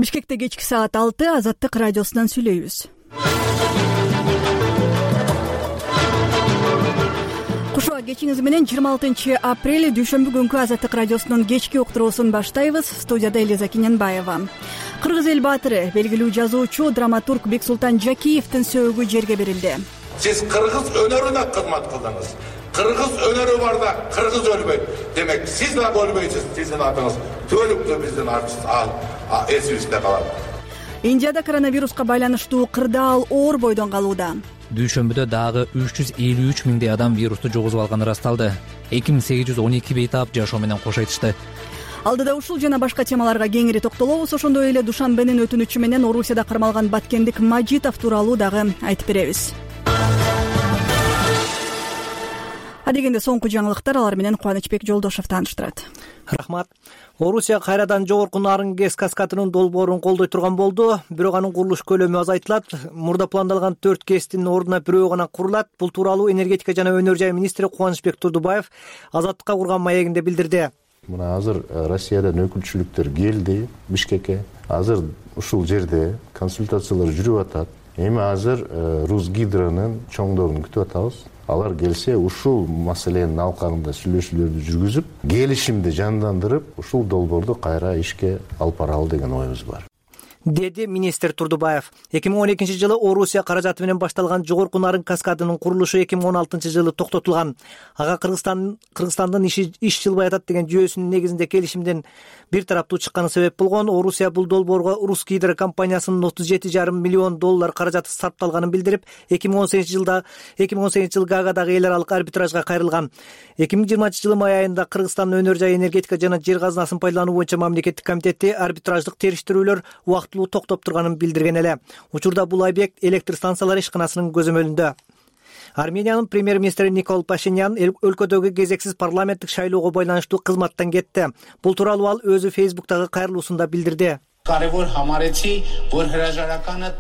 Бишкекте кечки саат 6 Азаттык радиосунан сүйлөйбүз. Кушуа кечиңиз менен 26 апрель дүйшөмбү күнкү Азаттык радиосунун кечки уктуруусун баштайбыз. Студияда Элиза Кененбаева. Кыргыз эл баатыры, белгилүү жазуучу, драматург Бексултан Жакиевдин сөөгү жерге берилди. Сиз кыргыз өнөрүнө кызмат кылдыңыз. Кыргыз өнөрү барда кыргыз өлбөйт. Демек, сиз да өлбөйсүз. Сиздин атыңыз төлүктө биздин эсибизде калат. Индияда коронавируска байланыштуу кырдаал оор бойдон калууда. Дүйшөмбүдө дагы 353 миңдей адам вирусту жугузуп алганы ырасталды. 2812 бейтап жашоо менен кош айтышты. Алдыда ушул жана башка темаларга кеңири токтолобуз. Ошондой эле Душанбенин өтүнүчү менен Орусияда кармалган баткендик Мажитов тууралуу дагы айтып беребиз. Адегенде соңку жаңылыктар, алар менен Кубанычбек Жолдошов тааныштырат. Рахмат. Орусия кайрадан жогорку Нарын ГЭС каскадынын долбоорун колдой турган болду. Бирок анын курулуш көлөмү азайтылат. Мурда пландалган 4 ГЭСтин ордуна бирөө гана курулат. Бул тууралуу энергетика жана өнөр жай министри Кубанычбек Турдубаев Азаттыкка курган маегинде билдирди. Мына азыр Россиядан өкүлчүлүктөр келди Бишкекке. Азыр ушул жерде консультациялар жүрүп атат. Эми азыр Русгидронун чоңдорун күтүп атабыз. Алар келсе ушул маселенин алкагында сүйлөшүүлөрдү жүргүзүп, келишимди жандандырып, ушул долбоорду кайра ишке алып баралы деген оюбуз бар, деди министр Турдубаев. 2012 жылы Орусия каражаты менен башталган жогорку Нарын каскадынын курулушу 2016 жылы токтотулган. Ага Кыргызстандын иш жылбай атат деген жүйөсүнүн негизинде келишимдин бир тараптуу чыкканы себеп болгон. Орусия бул долбоорго Русгидро компаниясынын $37,5 миллион каражаты сарпталганын билдирип, 2018 жыл Гаагадагы эл аралык арбитражга кайрылган. 2020 жылы май айында Кыргызстандын өнөр жай энергетика жана жер казынасын пайдалануу боюнча мамлекеттик комитети арбитраждык териштирүүлөр убактылуу токтоп турганын билдирген эле. Учурда бул объект электр станциялары ишканасынын көзөмөлүндө. Армениянын премьер-министри Никол Пашинян өлкөдөгү кезексиз парламенттик шайлоого байланыштуу кызматтан кетти. Бул тууралуу ал өзү Фейсбуктагы кайрылуусунда билдирди.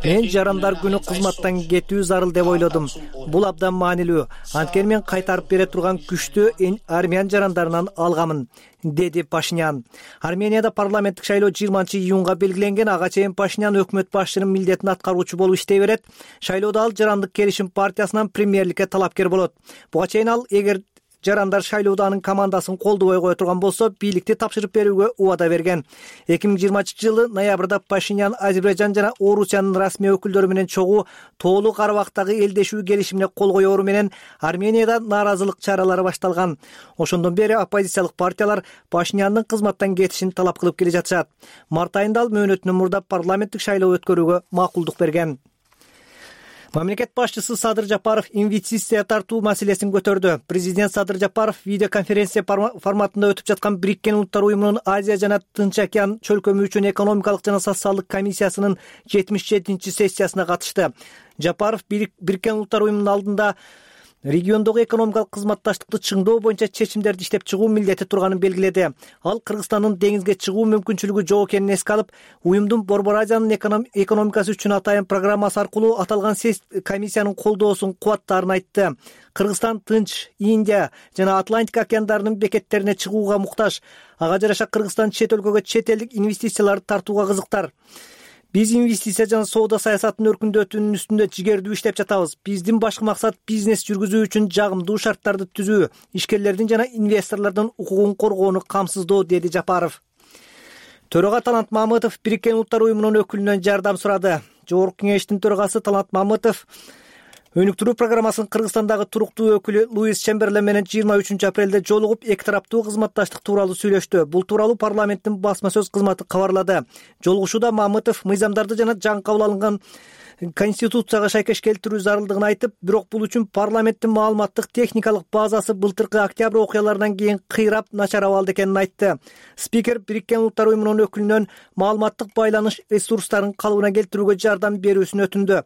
Мен жарандар күнү кызматтан кетүү зарыл деп ойлодум. Бул абдан маанилүү. Анткени мен кайтарып бере турган күчтү армян жарандарынан алгамын, деди Пашинян. Арменияда парламенттик шайлоо 20-июнга белгиленген. Ага чейин Пашинян өкмөт башчынын милдетин аткаруучу болуп иштей берет. Шайлоодо ал Жарандык келишим партиясынан премьерликке талапкер болот. Буга чейин ал эгер жарандар шайлоодо анын командасын колдобой кое турган болсо, бийликти тапшырып берүүгө убада берген. 2020 жылы ноябрда Пашинян Азербайжан жана Орусиянын расмий өкүлдөрү менен чогуу Тоолуу Карабактагы элдешүү келишимине кол коёру менен Арменияда нааразылык чаралары башталган. Ошондон бери оппозициялык партиялар Пашинянын кызматтан кетишин талап кылып келе жатышат. Март айында ал мөөнөтүнөн мурда парламенттик шайлоо өткөрүүгө макулдук берген. Мамлекет башчысы Садыр Жапаров инвестиция тартуу маселесин көтөрдү. Президент Садыр Жапаров видеоконференция форматында өтүп жаткан Бириккен Улуттар уюмунун Азия жана Тынч океан чөлкөмү үчүн экономикалык жана социалдык комиссиясынын 77-чи сессиясына катышты. Жапаров Бириккен Улуттар уюмунун алдында региондогу экономикалык кызматташтыкты чыңдоо боюнча чечимдерди иштеп чыгуу милдети турганын белгиледи. Ал Кыргызстандын деңизге чыгуу мүмкүнчүлүгү жок экенин эске алып, уюмдун Борбор Азиянын экономикасы үчүн атайын программасы аркылуу аталган комиссиянын колдоосун кубаттаарын айтты. Кыргызстан Тынч, Индия жана Атлантика океандарынын бекеттерине чыгууга муктаж. Ага жараша Кыргызстан чет өлкөгө чет элдик инвестицияларды тартууга кызыктар. Биз инвестиция жана соода саясатынын өркүндөтүүнүн үстүндө жигердүү иштеп жатабыз. Биздин башкы максат бизнес жүргүзүү үчүн жагымдуу шарттарды түзүү, ишкерлердин жана инвесторлордун укугун коргоону камсыздоо, деди Жапаров. Төрага Талант Мамытов Бириккен Улуттар уюмунун өкүлүнөн жардам сурады. Жогорку кеңештин төрагасы Талант Мамытов өнүктүрүү программасынын Кыргызстандагы туруктуу өкүлү Луис Чемберлен менен 23 апрелде жолугуп, эки тараптуу кызматташтык тууралуу сүйлөштү. Бул тууралуу парламенттин басма сөз кызматы кабарлады. Жолугушууда Мамытов мыйзамдарды жана жаңы кабыл алынган Конституцияга шайкеш келтирүү зарылдыгын айтып, бирок бул үчүн парламенттин маалыматтык техникалык базасы былтыркы октябрь окуяларынан кийин кыйрап начар абалда экенин айтты. Спикер Бириккен Улуттар уюмунун өкүлүнөн маалыматтык байланыш ресурстарын калыбына келтирүүгө жардам берүүсүн өтүндү.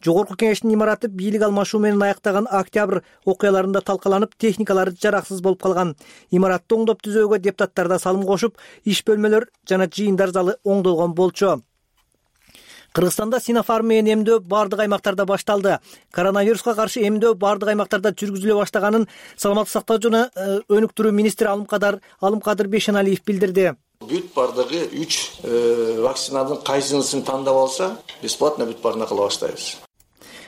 Жогорку кеңештин имараты бийлик алмашуу менен аяктаган октябрь окуяларында талкаланып, техникалары жараксыз болуп калган. Имаратты оңдоп түзөөгө депутаттар да салым кошуп, иш бөлмөлөр жана жыйындар залы оңдолгон болчу. Кыргызстанда Синофарм менен эмдөө бардык аймактарда башталды. Коронавируска каршы эмдөө бардык аймактарда жүргүзүлө баштаганын саламаттык сактоо жана өнүктүрүү министри Алымкадыр Бейшеналиев билдирди. бүт бардыгы 3 вакцинанын кайсынысын тандап алса, бесплатно бүт баарына кыла баштайбыз.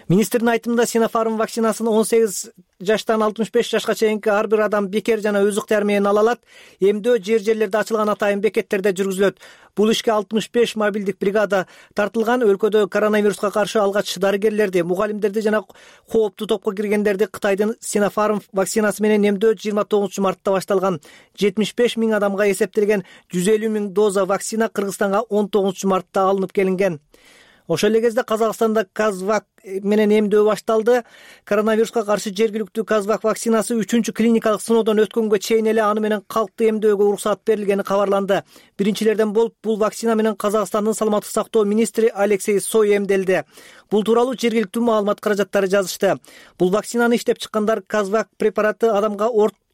Министрдин айтымында Sinopharm вакцинасын 18 жаштан 65 жашка чейинки ар бир адам бекер жана өз ыктыяры менен ала алат. Эмдөө жер-жерлерде ачылган атайын бекеттерде жүргүзүлөт. Бул ишке 65 мобилдик бригада тартылган. Өлкөдө коронавируска каршы алгач дарыгерлерди, мугалимдерди жана кооптуу топко киргендерди Кытайдын Sinopharm вакцинасы менен эмдөө 29 мартта башталган. 75 миң адамга эсептелген 150 миң доза вакцина Кыргызстанга 19 мартта алынып келинген. Ошол эле кезде Казакстанда Казвак менен эмдөө башталды. Коронавируска каршы жергиликтүү Казвак вакцинасы 3-чү клиникалык сыноодон өткөнгө чейин эле аны менен калктуу эмдөөгө уруксат берилгени кабарланды. Биринчилерден болуп бул вакцина менен Казакстандын саламаттык сактоо министри Алексей Сой эмделди. Бул тууралуу жергиликтүү маалымат каражаттары жазышты. Бул вакцинаны иштеп чыккандар Казвак препараты адамга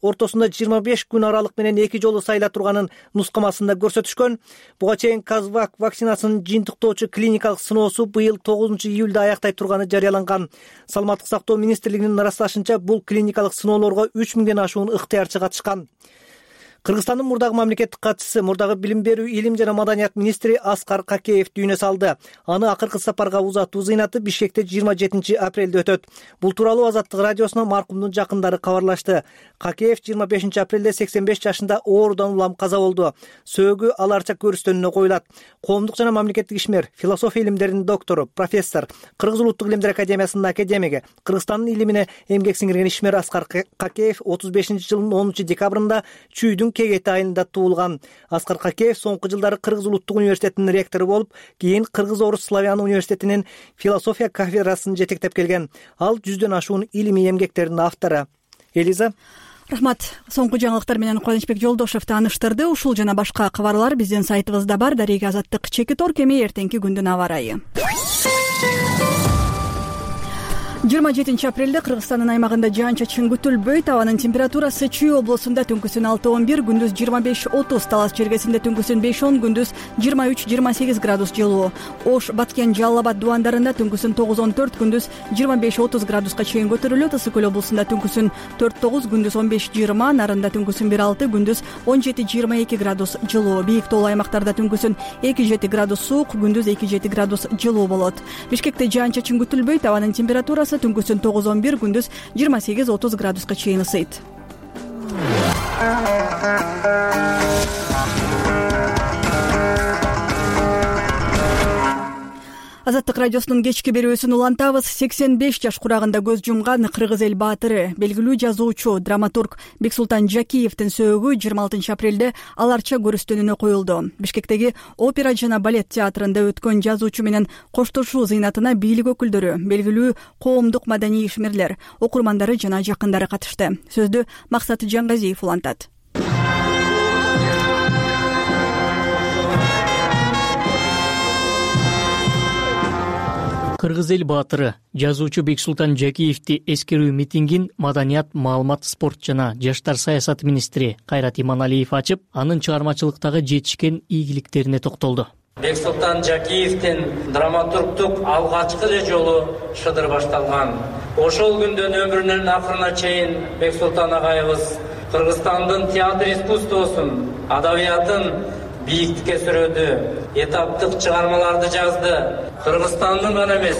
ортосунда 25 күн аралык менен 2 жолу сайыла турганын нускамасында көрсөтүшкөн. Буга чейин Казвак вакцинасынын жыйынтыктоочу клиникалык сыноосу быйыл 9 июлда аяктай турганы жарыяланган. Саламаттык сактоо министрлигинин ырасташынча бул клиникалык сыноолорго 3 миңден ашуун ыктыярчы катышкан. Кыргызстандын мурдагы мамлекеттик катчысы, мурдагы билим берүү, илим жана маданият министри Аскар Какеев дүйнө салды. Аны акыркы сапарга узатуу зыйнаты Бишкекте 27 апрелде өтөт. Бул тууралуу Азаттык радиосуна маркумдун жакындары кабарлашты. Какеев 25 апрелде 85 жашында оорудан улам каза болду. Сөөгү аларча көрүстөнүнө коюлат. Коомдук жана мамлекеттик ишмер, философия илимдеринин доктору, профессор, Кыргыз улуттук илимдер академиясынын академиги, Кыргызстандын илимине эмгек сиңирген ишмер Аскар Какеев 35-жылдын 10 декабрында Чүйдүн Кегети айылында туулган. Аскар Какеев соңку жылдары Кыргыз улуттук университетинин ректору болуп, кийин Кыргыз-Орус славян университетинин философия кафедрасын жетектеп келген. Ал 100дөн ашуун илимий эмгектердин автору. Элиза. Рахмат. Соңку жаңылыктар менен Кубанычбек Жолдошев тааныштырды. Ушул жана башка кабарлар биздин сайтыбызда бар. Дарыга Азаттык чеки тор кеми эртеңки күндүн аба ырайы. 27 апрелде Кыргызстандын аймагында жаан-чачын күтүлбөйт. Абанын температурасы Чүй облусунда түнкүсүн 6-11, күндүз 25-30, Талас чергесинде түнкүсүн 5-10, күндүз 23-28 градус жылуу. Ош, Баткен, Жалал Абад дубандарында түнкүсүн 9-14, күндүз 25-30 градуска чейин көтөрүлөт. Ысык көл облусунда түнкүсүн 4-9, күндүз 15-20, Нарында түнкүсүн 1-6, күндүз 17-22 градус жылуу. Бийик тоолуу аймактарда түнкүсүн 2-7 градус суук, күндүз 2-7 градус жылуу болот. Бишкекте жаан-чачын күтүлбөйт. Абанын температурасы түнкүсүн 9-11, күндүз 28-30 градуска чейин ысыйт. Азаттык радиосунун кечки берүүсүн улантабыз. 85 жаш курагында көз жумган кыргыз эл баатыры, белгилүү жазуучу, драматург Бексултан Жакиевдин сөөгү 26 апрелде аларча көрүстөнүнө коюлду. Бишкектеги опера жана балет театрында өткөн жазуучу менен коштошуу зыйнатына бийлик өкүлдөрү, белгилүү коомдук маданий ишмерлер, окурмандары жана жакындары катышты. Сөздү Максат Жангазиев улантат. Кыргыз эл баатыры, жазуучу Бексултан Жакиевди эскерүү митингин маданият, маалымат, спорт жана жаштар саясаты министри Кайрат Иманалиев ачып, анын чыгармачылыктагы жетишкен ийгиликтерине токтолду. Бексултан Жакиевдин драматургдук алгачкы эле жолу шыдыр башталган. Ошол күндөн өмүрүнүн акырына чейин Бексултан агайыбыз Кыргызстандын театр искусствосун, адабиятын бийиктикке сүрөдү, этаптык чыгармаларды жазды. Кыргызстандын гана эмес,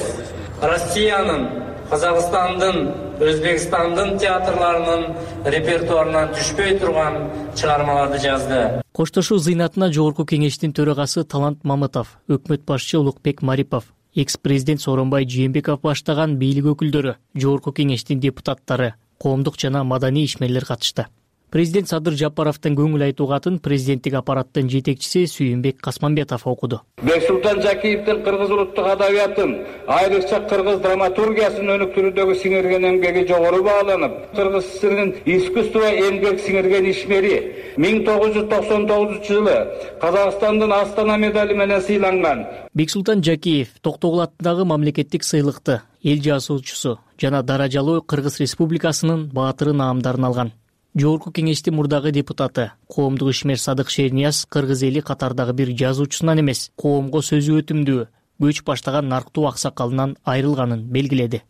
Россиянын, Казакстандын, Өзбекстандын театрларынын репертуарынан түшпөй турган чыгармаларды жазды. Коштошуу зыйнатына Жогорку кеңештин төрагасы Талант Мамытов, өкмөт башчы Улукбек Марипов, экс-президент Сооронбай Жээнбеков баштаган бийлик өкүлдөрү, Жогорку кеңештин депутаттары, коомдук жана маданий ишмерлер катышты. Президент Садыр Жапаровдун көңүл айтуу катын президенттик аппараттын жетекчиси Сүйүнбек Касманбетов окуду. Бексултан Жакиевдин кыргыз улуттук адабиятын, айрыкча кыргыз драматургиясын өнүктүрүүдөгү сиңирген эмгеги жогору бааланып, Кыргыз ССРинин искусство эмгек сиңирген ишмери 1999-жылы Казакстандын Астана медали менен сыйланган. Бексултан Жакиев Токтогул атындагы мамлекеттик сыйлыкты эл жазуучусу жана даражалуу Кыргыз Республикасынын баатыры наамдарын алган. Жогорку кеңештин мурдагы депутаты, коомдук ишмер Садык Шернияз кыргыз эли катардагы бир жазуучусунан эмес, коомго сөзү өтүмдүү, көч баштаган нарктуу аксакалынан айрылганын белгиледи.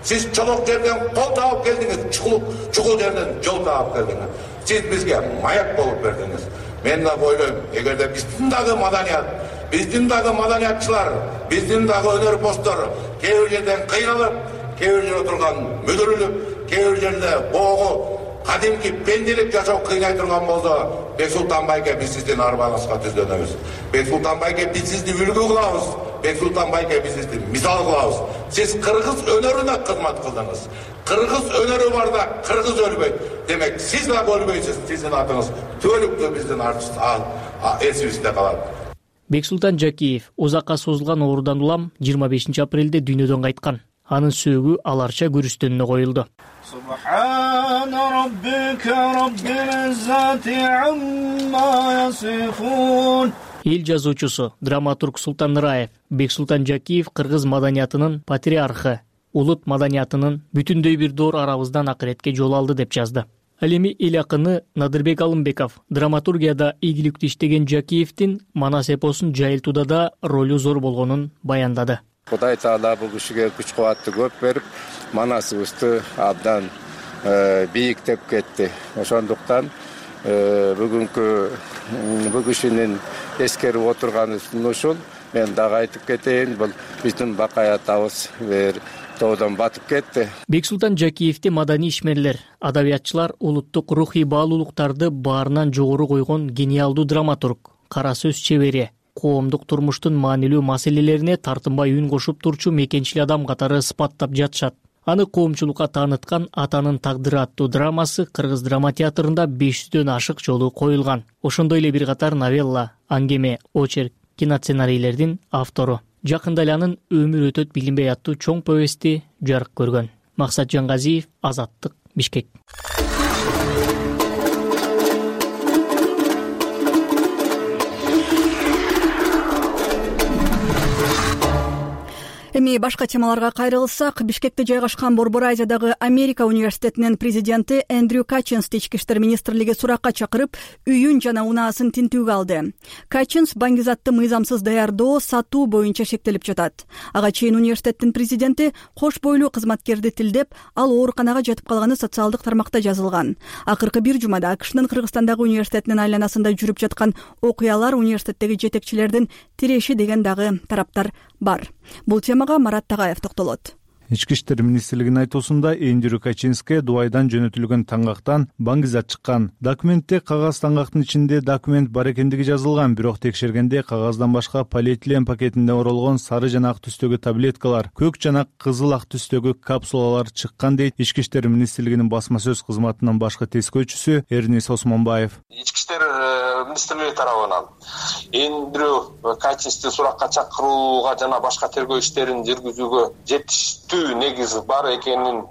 Сиз чолок жерден кол таап келдиңиз, чугул жерден жол таап келдиңиз. Сиз бизге маяк болуп бердиңиз. мен дагы ойлойм, эгерде биздин дагы маданиятчылар, биздин дагы өнөр посттор кээ бир жерден кыйналып, кээ бир жерде турган мүдүрүлүп, кээ бир жерде боогу кадимки пенделик жашоо кыйнай турган болсо, Бексултан байке биз сиздин арбаңызга түздөнөбүз. Бексултан байке биз сизди үлгү кылабыз. Бексултан байке биз сизди мисал кылабыз. Сиз кыргыз өнөрүнө кызмат кылдыңыз. Кыргыз өнөрү барда кыргыз өлбөйт. Демек, сиз дагы өлбөйсүз. Сиздин атыңыз түбөлүктүү биздин эсибизде калат. Бексултан Жакиев узакка созулган оорудан улам 25 апрелде дүйнөдөн кайткан. Анын сөөгү аларча көрүстөнүнө коюлду. Субхана раббика раббил иzzati амма ясифун. Эл жазуучусу, драматург Султан Ыраев Бексултан Жакиев кыргыз маданиятынын патриархы, улут маданиятынын бүтүндөй бир доор арабыздан акыретке жол алды деп жазды. Ал эми эл акыны Надырбек Алымбеков драматургияда ийгиликтүү иштеген Жакиевдин манас эпосун жайылтууда да ролу зор болгонун баяндады. Кудай Таала бул кишиге күч кубатты көп берип, манасыбызды абдан бийиктеп кетти. Ошондуктан бүгүнкү бул кишинин эскерип отурганы ушул. Мен дагы айтып кетейин, бул биздин бакай атабыз тоодон батып кетти. Бексултан Жакиевди маданий ишмерлер, адабиятчылар улуттук рухий баалуулуктарды баарынан жогору койгон гениалдуу драматург, кара сөз чебери, коомдук турмуштун маанилүү маселелерине тартынбай үн кошуп турчу мекенчил адам катары сыпаттап жатышат. Аны коомчулукка тааныткан Атанын тагдыры аттуу драмасы кыргыз драма театрында 500дөн ашык жолу коюлган. Ошондой эле бир катар новелла, аңгеме, очерк, киносценарийлердин автору. Жакында эле анын Өмүр өтөт билинбей аттуу чоң повести жарык көргөн. Максат Жангазиев, Азаттык, Бишкек. Эми башка темаларга кайрылсак, Бишкекте жайгашкан Борбор Азиядагы Америка университетинин президенти Эндрю Качинс ички иштер министрлиги суракка чакырып, үйүн жана унаасын тинтүүгө алды. Качинс баңгизатты мыйзамсыз даярдоо, сатуу боюнча шектелип жатат. Ага чейин университеттин президенти кош бойлуу кызматкерди тилдеп, ал ооруканага жатып калганы социалдык тармакта жазылган. Акыркы бир жумада АКШнын Кыргызстандагы университетинин айланасында жүрүп жаткан окуялар университеттеги жетекчилердин тиреши деген дагы тараптар бар. Бул темага Марат Тагаев токтолот. Ички иштер министрлигинин айтуусунда Эндрю Качинске Дубайдан жөнөтүлгөн таңгактан баңгизат чыккан. Документте кагаз таңгактын ичинде документ бар экендиги жазылган, бирок текшергенде кагаздан башка полиэтилен пакетинде оролгон сары жана ак түстөгү таблеткалар, көк жана кызыл ак түстөгү капсулалар чыккан дейт Ички иштер министрлигинин басма сөз кызматынын башкы тескөөчүсү Эрнис Осмонбаев. Ички иштер министрлиги тарабынан Эндрю Качинсти суракка чакырууга жана башка тергөө иштерин жүргүзүүгө жетиштүү негиз бар экенин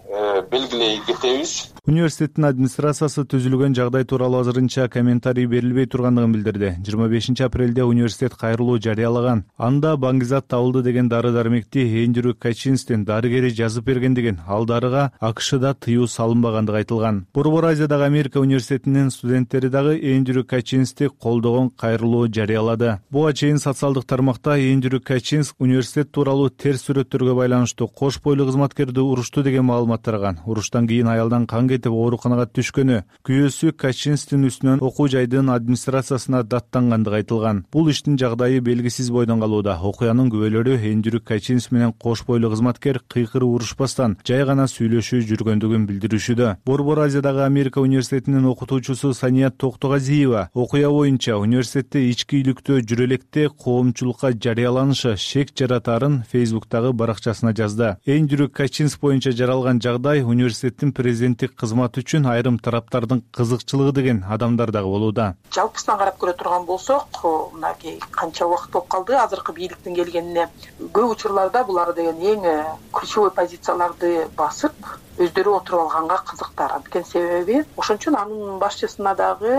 белгилей кетебиз. Университеттин администрациясы түзүлгөн жагдай тууралуу азырынча комментарий берилбей тургандыгын билдирди. 25 апрелде университет кайрылуу жарыялаган. Анда баңгизат табылды деген дары-дармекти Эндрю Качинстин дарыгери жазып бергендигин, ал дарыга АКШда тыюу салынбагандыгы айтылган. Борбор Азиядагы Америка университетинин студенттери дагы Эндрю Качинсти колдогон кайрылуу жарыялады. Буга чейин социалдык тармакта Эндрю Качинс университет тууралуу терс сүрөттөргө байланыштуу кош бойлуу кызматкерди урушту деген маалымат тараган. Уруштан кийин аялдан кан кетип ооруканага түшкөнү, күйөөсү Качинстин үстүнөн окуу жайдын администрациясына даттангандыгы айтылган. Бул иштин жагдайы белгисиз бойдон калууда. Окуянын күбөлөрү Эндрю Качинс менен кош бойлуу кызматкер кыйкыры урушпастан жай гана сүйлөшүү жүргөндүгүн билдиришүүдө. Борбор Азиядагы Америка университетинин окутуучусу Сания Токтогазиева окуя боюнча университетте ички иликтөө жүрө электе коомчулукка жарыяланышы шек жаратаарын Facebook'тагы баракчасына жазды. Эндрю Качинс боюнча жаралган жагдай университеттин президенттик кызматы үчүн айрым тараптардын кызыкчылыгы деген адамдар дагы болууда. Жалпысынан карап көрө турган болсок, мынакей канча убакыт болуп калды азыркы бийликтин келгенине. Көп учурларда булар деген эң ключевой позицияларды басып, өздөрү отуруп алганга кызыктар. Анткени себеби ошон үчүн анын башчысына дагы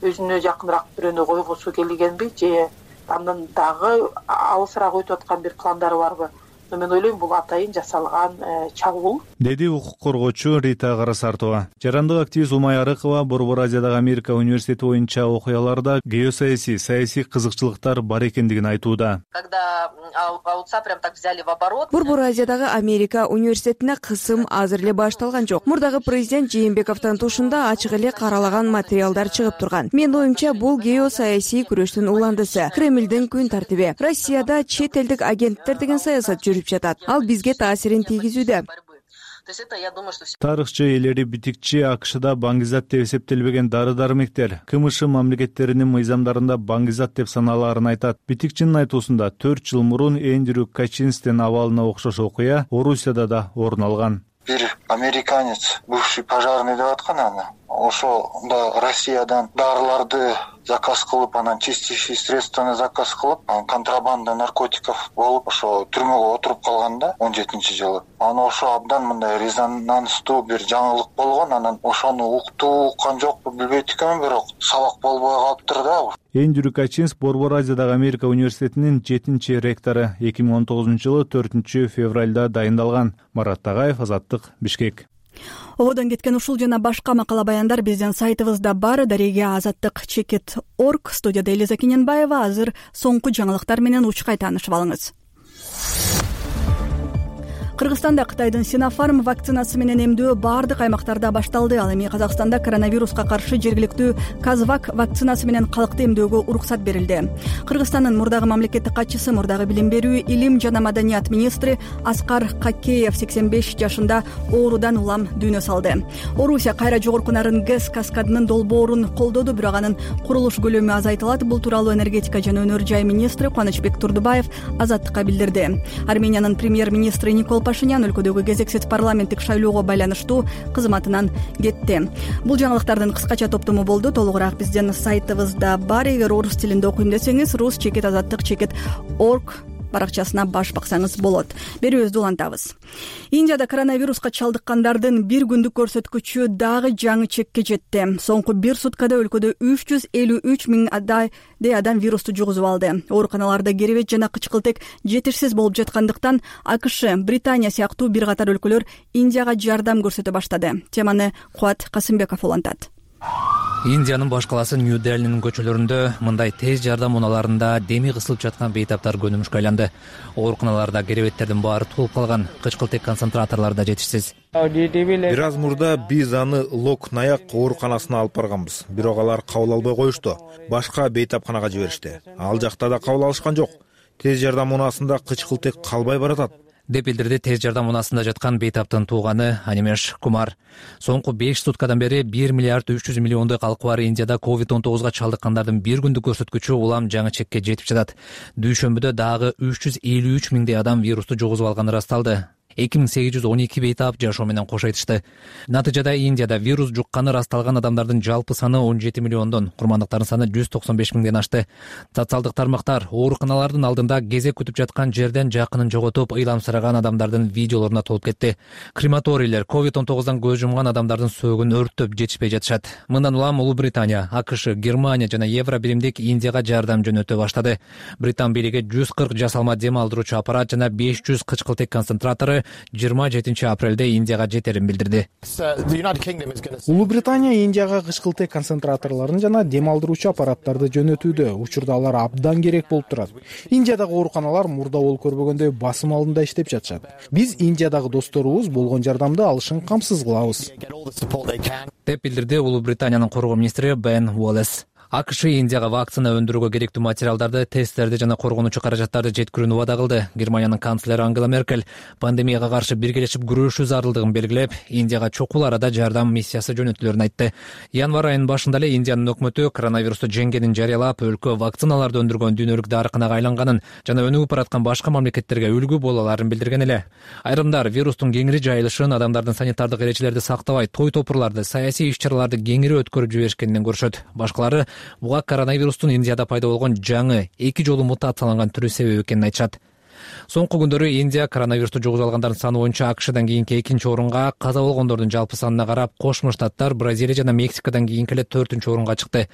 өзүнө жакыныраак бирөөнү койгусу келгенби же анын дагы алысыраак өтүп аткан бир пландары барбы? мен ойлойм бул атайын жасалган чабуул, деди укук коргоочу Рита Карасартова. Жарандык активист Умай Арыкова Борбор Азиядагы Америка университети боюнча окуяларда геосаясий, саясий кызыкчылыктар бар экендигин айтууда. Когда АУЦА прям так взяли в оборот. Борбор Азиядагы Америка университетине кысым азыр эле башталган жок. Мурдагы президент Жээнбековдун тушунда ачык эле каралаган материалдар чыгып турган. Менин оюмча бул геосаясий күрөштүн уландысы, Кремлдин күн тартиби. Россияда чет элдик агенттер деген саясат жүрүп жатат. Ал бизге таасирин тийгизүүдө. Тарыхчы элери битикчи АКШда баңгизат деп эсептелбеген дары-дармектер КМШ мамлекеттеринин мыйзамдарында баңгизат деп саналаарын айтат. Битикчинин айтуусунда 4 жыл мурун Эндрю Качинстин абалына окшош окуя Орусияда да орун алган. Бир американец, бывший пожарный деп аткан аны. Ошондо Россиядан дарыларды заказ кылып, анан чистящие средствоны заказ кылып, контрабанда наркотиков болуп, ошо түрмөгө отуруп калган да 17-жылы. Аны ошо абдан мындай резонанстуу бир жаңылык болгон. Анан ошону уккан жокпу билбейт экенмин, бирок сабак болбой калыптыр да. Эндрю Качинс Борбор Азиядагы Америка университетинин 7-чи ректору 2019-жылы 4-февралда дайындалган. Марат Тагаев, Азаттык, Бишкек. Ободон кеткен ушул жана башка макала баяндар биздин сайтыбызда бар. Дареге Азаттык.org. Студияда Элиза Кененбаева. Азыр соңку жаңылыктар менен учкай таанышып алыңыз. Кыргызстанда Кытайдын Синофарм вакцинасы менен эмдөө бардык аймактарда башталды. Ал эми Казакстанда коронавируска каршы жергиликтүү Казвак вакцинасы менен калкты эмдөөгө уруксат берилди. Кыргызстандын мурдагы мамлекеттик катчысы, мурдагы билим берүү, илим жана маданият министри Аскар Какеев 85 жашында оорудан улам дүйнө салды. Орусия кайра жогорку нарын ГЭС каскадынын долбоорун колдоду, бирок анын курулуш көлөмү азайтылат. Бул тууралуу энергетика жана өнөр жай министри Кубанычбек Турдубаев Азаттыкка билдирди. Армениянын премьер-министри Никол Пашинян өлкөдөгү кезексиз парламенттик шайлоого байланыштуу кызматынан кетти. Бул жаңылыктардын кыскача топтому болду. Толугураак биздин сайтыбызда бар. Эгер орус тилинде окуйм десеңиз, rus-azattik.org баракчасына баш баксаңыз болот. Берүүбүздү улантабыз. Индияда коронавируска чалдыккандардын бир күндүк көрсөткүчү дагы жаңы чекке жетти. Соңку бир суткада өлкөдө 353 миң адам вирусту жугузуп алды. Ооруканаларда керебет жана кычкылтек жетишсиз болуп жаткандыктан АКШ, Британия сыяктуу бир катар өлкөлөр Индияга жардам көрсөтө баштады. Теманы Куат Касымбеков улантат. Индиянын баш каласы Нью-Делинин көчөлөрүндө мындай тез жардам унааларында деми кысылып жаткан бейтаптар көнүмүшкө айланды. Ооруканаларда керебеттердин баары толуп калган, кычкылтек концентраторлор да жетишсиз. Бир аз мурда биз аны Лок-Наяк ооруканасына алып барганбыз, бирок алар кабыл албай коюшту. Башка бейтапканага жиберишти. Ал жакта да кабыл алышкан жок. Тез жардам унаасында кычкылтек калбай баратат деп билдирди тез жардам унаасында жаткан бейтаптын тууганы Анимеш Кумар. Соңку 5 суткадан бери 1 миллиард 300 миллиондой калкы бар Индияда COVID-19 чалдыккандардын бир күндүк көрсөткүчү улам жаңы чекке жетип жатат. Дүйшөмбүдө дагы 353 миңдей адам вирусту жугузуп алганы ырасталды. 2812 бейтап жашоо менен кош айтышты. Натыйжада Индияда вирус жукканы ырасталган адамдардын жалпы саны 17 миллиондон, курмандыктардын саны 195 миңден ашты. Социалдык тармактар ооруканалардын алдында кезек күтүп жаткан жерден жакынын жоготуп, ыйламсыраган адамдардын видеолоруна толуп кетти. Крематорийлер COVID-19 көз жумган адамдардын сөөгүн өрттөп жетишпей жатышат. Мындан улам Улуу Британия, АКШ, Германия жана Евробиримдик Индияга жардам жөнөтө баштады. Британ бийлиги 140 жасалма дем алдыруучу аппарат жана 500 кычкылтек концентратору 27 апрелде Индияга жетерин билдирди. Улуу Британия Индияга кычкылтек концентраторлорун жана дем алдыруучу аппараттарды жөнөтүүдө. Учурда алар абдан керек болуп турат. Индиядагы ооруканалар мурда болуп көрбөгөндөй басым алдында иштеп жатышат. Биз Индиядагы досторубуз болгон жардамды алышын камсыз кылабыз, деп билдирди Улуу Британиянын коргоо министри Бен Уоллес. АКШ Индияга вакцина өндүрүүгө керектүү материалдарды, тесттерди жана коргонуучу каражаттарды жеткирүүнү убада кылды. Германиянын канцлери Ангела Меркель пандемияга каршы биргелешип күрөшүү зарылдыгын белгилеп, Индияга чокул арада жардам миссиясы жөнөтүлөрүн айтты. Январь айынын башында эле Индиянын өкмөтү коронавирусту жеңгенин жарыялап, өлкө вакциналарды өндүргөн дүйнөлүк дарыканага айланганын жана өнүгүп бараткан башка мамлекеттерге үлгү боло аларын билдирген эле. Айрымдар вирустун кеңири жайылышын, адамдардын санитардык эрежелерди сактабай, той топурларды, саясий иш-чараларды кеңири өткөрүп жиберишкенинен көрүшөт. Башкалары буга коронавирустун Индияда пайда болгон жаңы 2 жолу мутацияланган түрү себеп экенин айтышат. Соңку күндөрү Индия коронавирусту жугузуп алгандардын саны боюнча АКШдан кийинки 2-орунга, каза болгондордун жалпы санына карап Кошмо Штаттар, Бразилия жана Мексикадан кийинки эле 4-орунга чыкты.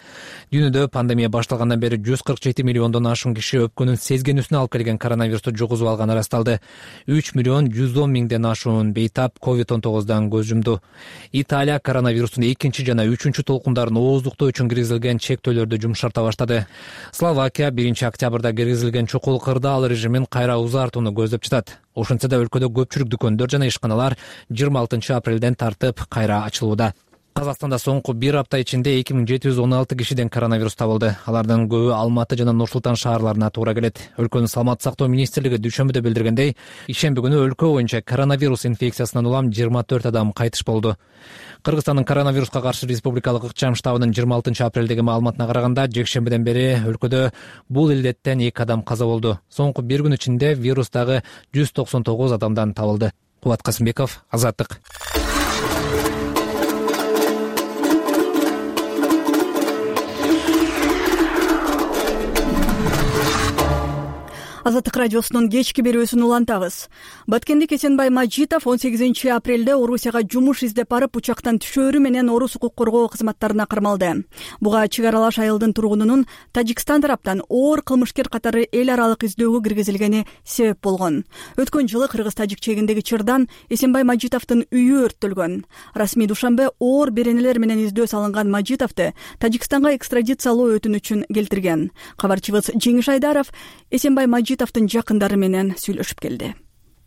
Дүйнөдө пандемия башталгандан бери 147 миллиондон ашуун киши өпкөнүн сезгенүүсүнө алып келген коронавирусту жугузуп алганы ырасталды. 3.110.000ден ашуун бейтап COVID-19 көз жумду. Италия коронавирустун 2 жана 3 толкундарын ооздуктоо үчүн киргизилген чектөөлөрдү жумшарта баштады. Словакия 1-октябрда киргизилген чукул кырдаал режимин кайра узартууну көздөп жатат. Ошентсе да өлкөдө көпчүлүк дүкөндөр жана ишканалар 26-апрелден тартып кайра ачылууда. Казакстанда соңку бир апта ичинде 2716 кишиден коронавирус табылды. Алардын көбү Алматы жана Нур-Султан шаарларына туура келет. Өлкөнүн саламаттык сактоо министрлиги дүйшөмбүдө билдиргендей, ишемби күнү өлкө боюнча коронавирус инфекциясынан улам 24 адам кайтыш болду. Кыргызстандын коронавируска каршы республикалык ыкчам штабынын 26-апрелдеги маалыматына караганда, жекшембиден бери өлкөдө бул илдеттен 2 адам каза болду. Соңку бир күн ичинде вирус дагы 199 адамдан табылды. Кубат Касымбеков, Азаттык. Азаттык радиосунун кечки берүүсүн улантабыз. Баткендик Эсенбай Мажитов 18-апрелде Орусияга жумуш издеп барып, учактан түшөөрү менен орус укук коргоо кызматтарына кармалды. Буга чек аралаш айылдын тургунунун Тажикстан тараптан оор кылмышкер катары эл аралык издөөгө киргизилгени себеп болгон. Өткөн жылы кыргыз-тажик чегиндеги чырдан Эсенбай Мажитовдун үйү өрттөлгөн. Расмий душанбе оор беренелер менен издөө салынган Мажитовду Тажикстанга экстрадициялоо өтүнүчүн келтирген. Кабарчыбыз Жеңиш Айдаров Эсенбай Мажитовдун жакындары менен сүйлөшүп келди.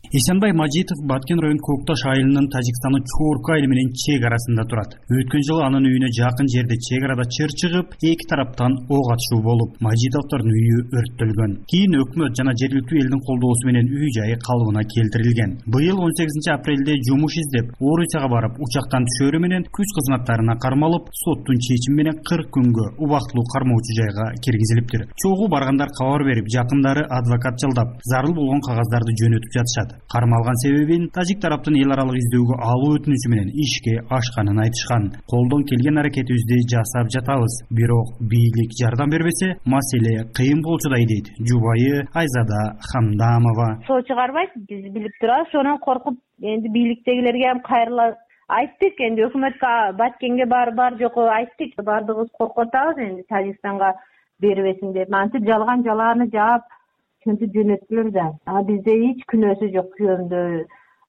Эсенбай Мажитов Баткен район Көкташ айылынын Тажикстандын Чуурка айылы менен чек арасында турат. Өткөн жылы анын үйүнө жакын жерде чек арада чыр чыгып, эки тараптан ок атышуу болуп, Мажитовдордун үйү өрттөлгөн. Кийин өкмөт жана жергиликтүү элдин колдоосу менен үй жайы калыбына келтирилген. Быйыл 18-апрелде жумуш издеп Орусияга барып, учактан түшөөрү менен күч кызматтарына кармалып, соттун чечими менен 40 күнгө убактылуу кармоочу жайга киргизилиптир. Чогуу баргандар кабар берип, жакындары адвокат жалдап, зарыл болгон кагаздарды жөнөтүп жатышат. Кармалган себебин тажик тараптын эл аралык издөөгө алуу өтүнүчү менен ишке ашканын айтышкан. Колдон келген аракетибизди жасап жатабыз. Бирок бийлик жардам бербесе, маселе кыйын болчудай дейт жубайы Айзада Хамдамова. Соо чыгарбайт, биз билип турабыз, ошондон коркуп, энди бийликтегилерге ham кайрыла айттык, энди өкмөткө Баткенге бар жокко айттык. Бардыгыбыз коркуп атабыз, энди Тажикстанга бербесин деп. Антип жалган жалааны жаап сөйтүп жөнөттүлөр да. Бизде эч күнөөсү жок күйөөмдө.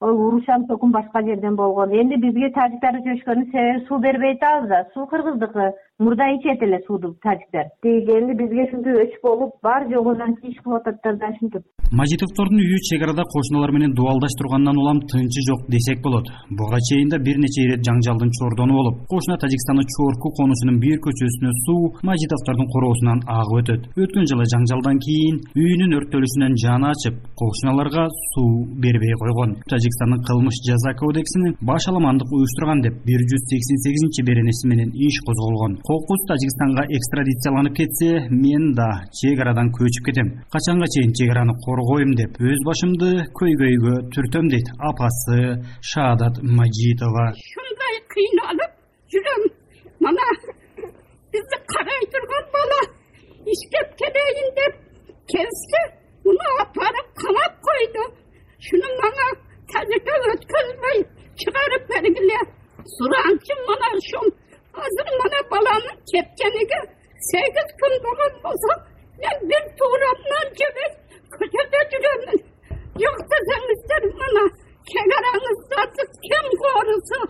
Урушан токун башка жерден болгон. Энди бизге тажиктар чөчкөнүн себеби суу бербей атабыз да. Суу кыргыздыкы. Мурда ичет эле сууду тажиктар. Дегенде бизге ушундай өч болуп, бар жогунан иш кылып ататтар да ушинтип. Мажитовдордун үйү чек арада кошуналар менен дубалдаш тургандан улам тынчы жок десек болот. Буга чейин да бир нече ирет жаңжалдын чордону болуп, кошуна Тажикстандын Чорку конушунун бир көчөсүнө суу Мажитовдордун короосунан агып өтөт. Өткөн жылы жаңжалдан кийин үйүнүн өрттөлүшүнөн жаны ачып, кошуналарга суу бербей койгон. Тажикстандын кылмыш жаза кодексинин башаламандык уюштурган деп 188-беренеси менен иш козголгон. Кокус Тажикстанга экстрадицияланып кетсе, мен да чек арадан көчүп кетем. Качанга чейин чек араны коргойм деп өз башымды көйгөйгө түртөм дейт апасы Шаадат Мажитова. Шундай кыйналып жүрөм. Мана бизди карай турган бала иштеп келейин деп келсе, муну апарып камап койду. Шуну мага тажикка өткөзбөй чыгарып бергиле. Суранчым мана ушул. Азыр мана баланын кеткениге 8 күн болгон болсо, мен бир туурамдан жебей көчөдө жүрөмүн. Жок десеңиздер, мана чек араңызды ким корусу,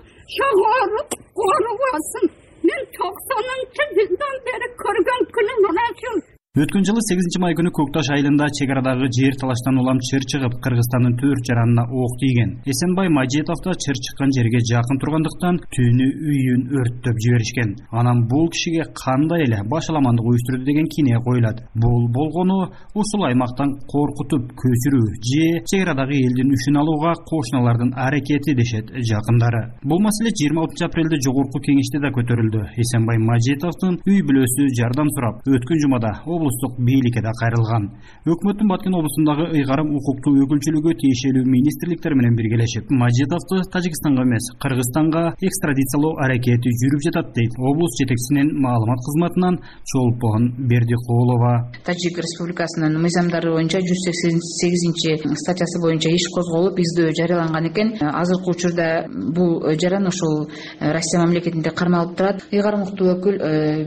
корубасын. Мен 90-жылдан бери көргөн күнүм мына ушул. Өткөн жылы 8 май күнү Көкташ айылында чек арадагы жер талаштан улам чыр чыгып, Кыргызстандын 4 жаранына ок тийген. Эсенбай Мажитов да чыр чыккан жерге жакын тургандыктан түнү үйүн өрттөп жиберишкен. Анан бул кишиге кандай эле башаламандык уюштурду деген кине коюлат. Бул болгону ушул аймактан коркутуп көчүрүү же чек арадагы элдин үшүн алууга кошуналардын аракети дешет жакындары. Бул маселе 26-апрелде жогорку кеңеште да көтөрүлдү. Эсенбай Мажитовдун үй бүлөсү жардам сурап, өткөн жумада облус облустук бийликке да кайрылган. Өкмөттүн Баткен облусундагы ыйгарым укуктуу өкүлчүлүгү тиешелүү министрликтер менен биргелешип, Мажитовду Тажикстанга эмес, Кыргызстанга экстрадициялоо аракети жүрүп жатат дейт облус жетекчисинин маалымат кызматынан Чолпон Бердикулова. Тажик Республикасынын мыйзамдары боюнча 188 статьясы боюнча иш козголуп, издөө жарыяланган экен. Азыркы учурда бул жаран ошол Россия мамлекетинде кармалып турат. Ыйгарым укуктуу өкүл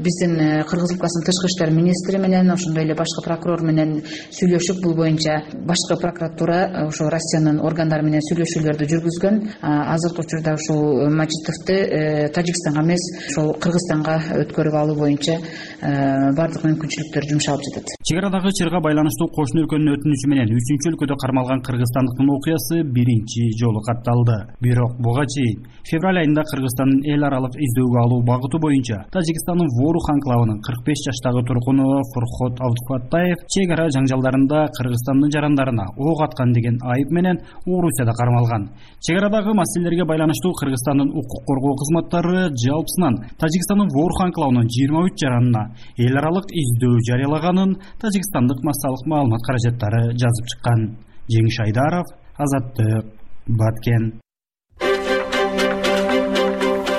биздин Кыргыз Республикасынын тышкы иштер министри менен, ошондой эле башкы прокурор менен сүйлөшүп, бул боюнча башкы прокуратура ошо Россиянын органдары менен сүйлөшүүлөрдү жүргүзгөн. Азыркы учурда ушул Мажитовду Тажикстанга эмес, ошол Кыргызстанга өткөрүп алуу боюнча бардык мүмкүнчүлүктөр жумшалып жатат. Чек арадагы чырга байланыштуу кошуна өлкөнүн өтүнүчү менен 3-чү өлкөдө кармалган кыргызстандыктын окуясы биринчи жолу катталды. Бирок буга чейин февраль айында Кыргызстандын эл аралык издөөгө алуу багыты боюнча Тажикстандын Ворух анклавынын 45 жаштагы тургуну Фурхот Абдукаттаев чек ара жаңжалдарында Кыргызстандын жарандарына ок аткан деген айып менен Орусияда кармалган. Чек арадагы маселелерге байланыштуу Кыргызстандын укук коргоо кызматтары жалпысынан Тажикстандын Ворух анклавынын 23 жаранына эл аралык издөө жарыялаганын тажикстандык массалык маалымат каражаттары жазып чыккан. Жеңиш Айдаров, Азаттык, Баткен.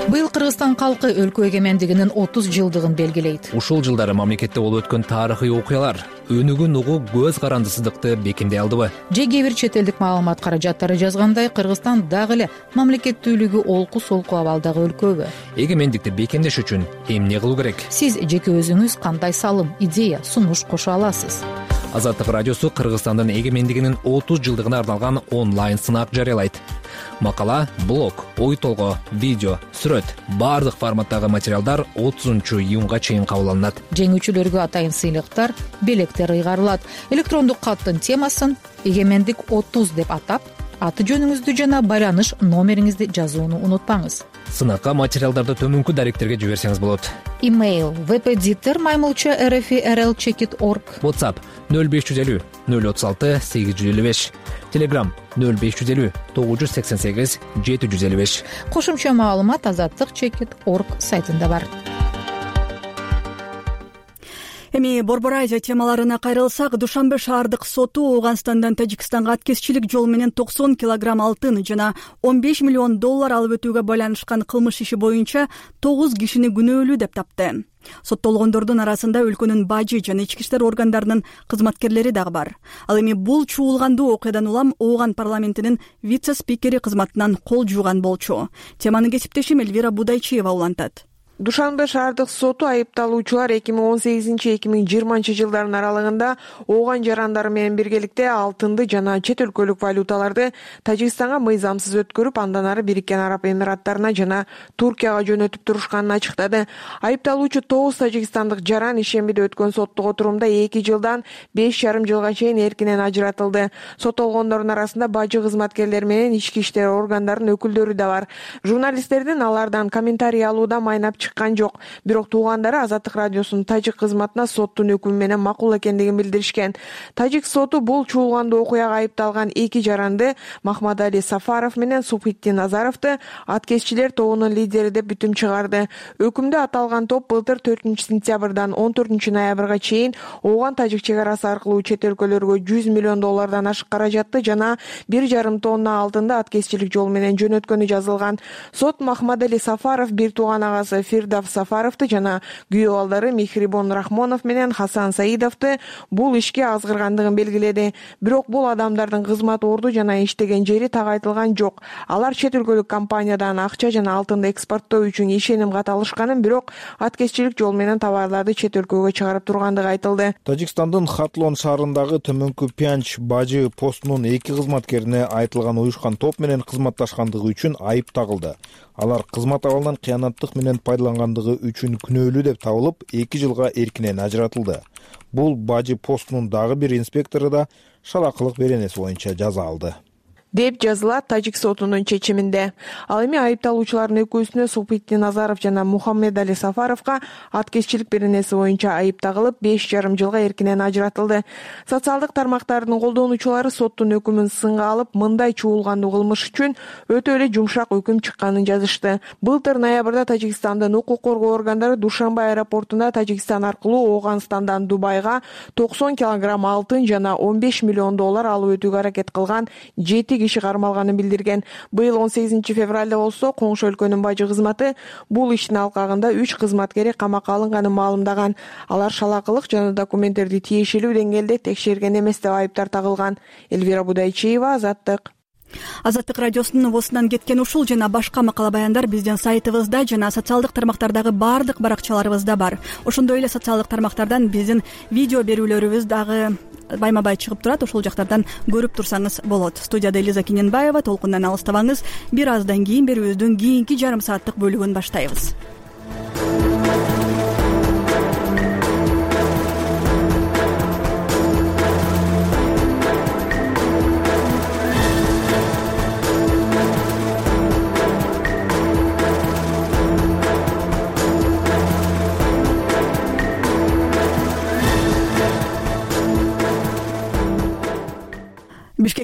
Быйыл Кыргызстан калкы өлкө эгемендигинин 30 жылдыгын белгилейт. Ушул жылдары мамлекетте болуп өткөн тарыхый окуялар өнүгүн угуп көз карандысыздыкты бекемдей алдыбы? Же кээ бир чет элдик маалымат каражаттары жазгандай, Кыргызстан дагы эле мамлекеттүүлүгү олку-солку абалдагы өлкөбү? Эгемендикти бекемдеш үчүн эмне кылуу керек? Сиз жеке өзүңүз кандай салым, идея, сунуш кошо аласыз? Азаттык радиосу Кыргызстандын эгемендигинин 30 жылдыгына арналган онлайн сынак жарыялайт. Макала, блог, ой толгоо, видео, сүрөт, бардык форматтагы материалдар 30-июнга чейин кабыл алынат. Жеңүүчүлөргө атайын сыйлыктар, белектер ыйгарылат. Электрондук каттын темасын «Эгемендик 30» деп атап, аты жөнүңүздү жана байланыш номериңизди жазууну унутпаңыз. Сынакка материалдарды төмөнкү даректерге жиберсеңиз болот. Имейл vpditter@rlcheckit.org. WhatsApp 0550 036 855. Telegram 0550 988 755. Кошумча маалымат azatlyk.org сайтында бар. Эми Борбор Азия темаларына кайрылсак, Душанбе шаардык соту Ооганстандан Тажикстанга аткезчилик жол менен 90 килограмм алтын жана 15 миллион доллар алып өтүүгө байланышкан кылмыш иши боюнча 9 кишини күнөөлүү деп тапты. Соттолгондордун арасында өлкөнүн бажы жана ички иштер органдарынын кызматкерлери дагы бар. Ал эми бул чуулгандуу окуядан улам Ооган парламентинин вице-спикери кызматынан кол жууган болчу. Теманы кесиптешим Эльвира Будайчиева улантат. Душанбе шаардык соту айыпталуучулар 2018-2020 жылдардын аралыгында Ооган жарандары менен биргеликте алтынды жана чет өлкөлүк валюталарды Тажикстанга мыйзамсыз өткөрүп, андан ары Бириккен Араб Эмираттарына жана Туркияга жөнөтүп турушканын ачыктады. Айыпталуучу 9 тажикстандык жаран ишембиде өткөн соттук отурумда 2 жылдан 5,5 жылга чейин эркинен ажыратылды. Соттолгондордун арасында бажы кызматкерлери менен ички иштер органдарынын өкүлдөрү да бар. Журналисттердин алардан комментарий алууда майнап чыккан жок. Бирок туугандары Азаттык радиосунун тажик кызматына соттун өкүмү менен макул экендигин билдиришкен. Тажик соту бул чуулгандуу окуяга айыпталган 2 жаранды Махмадали Сафаров менен Субхиддин Азаровду аткезчилер тобунун лидери деп бүтүм чыгарды. Өкүмдө аталган топ былтыр 4-сентябрдан 14-ноябрга чейин Ооган тажик чек арасы аркылуу чет өлкөлөргө 100 миллион доллардан ашык каражатты жана 1,5 тонна алтынды аткезчилик жол менен жөнөткөнү жазылган. Сот Махмадали Сафаров бир тууган агасы Фирдав Сафаровду жана күйөө балдары Михрибон Рахмонов менен Хасан Саидовду бул ишке азгыргандыгын белгиледи. Бирок бул адамдардын кызмат орду жана иштеген жери так айтылган жок. Алар чет өлкөлүк компаниядан акча жана алтынды экспорттоо үчүн ишеним кат алышканын, бирок аткезчилик жол менен товарларды чет өлкөгө чыгарып тургандыгы айтылды. Тажикстандын Хатлон шаарындагы төмөнкү Пянч бажы постунун 2 кызматкерине айтылган уюшкан топ менен кызматташкандыгы үчүн айып тагылды. Алар кызмат абалынан кыянаттык менен пайдалангандыгы үчүн күнөөлүү деп табылып, 2 жылга эркинен ажыратылды. Бул бажы постунун дагы бир инспектору да шалакылык беренеси боюнча жаза алды. деп жазылат тажик сотунун чечиминде. Ал эми айыпталуучулардын экөөсүнө Сулпитдин Назаров жана Мухаммед Али Сафаровго аткезчилик беренеси боюнча айып тагылып 5,5 жылга эркинен ажыратылды. Социалдык тармактардын колдонуучулары соттун өкүмүн сынга алып, мындай чуулгандуу кылмыш үчүн өтө эле жумшак өкүм чыкканын жазышты. Былтыр ноябрда Тажикстандын укук коргоо органдары Душанбе аэропортунда Тажикстан аркылуу Ооганстандан Дубайга 90 килограмм алтын жана 15 миллион доллар алып өтүүгө аракет кылган 7 киши кармалганын билдирген. Быйыл 18 февралда болсо коңшу өлкөнүн бажы кызматы бул иштин алкагында 3 кызматкери камакка алынганын маалымдаган. Алар шалакылык жана документтерди тиешелүү деңгээлде текшерген эмес деп айыптар тагылган. Элвира Будайчиева, Азаттык. Азаттык радиосунун обосунан кеткен ушул жана башка макала баяндар биздин сайтыбызда жана социалдык тармактардагы баардык баракчаларыбызда бар. Ошондой эле социалдык тармактардан биздин видео берүүлөрүбүз дагы байма-бай чыгып турат. Ошол жактардан көрүп турсаңыз болот. Студияда Элиза Киненбаева. Толкундан алыстабаңыз. Бир аздан кийин берүүбүздүн кийинки жарым сааттык бөлүгүн баштайбыз.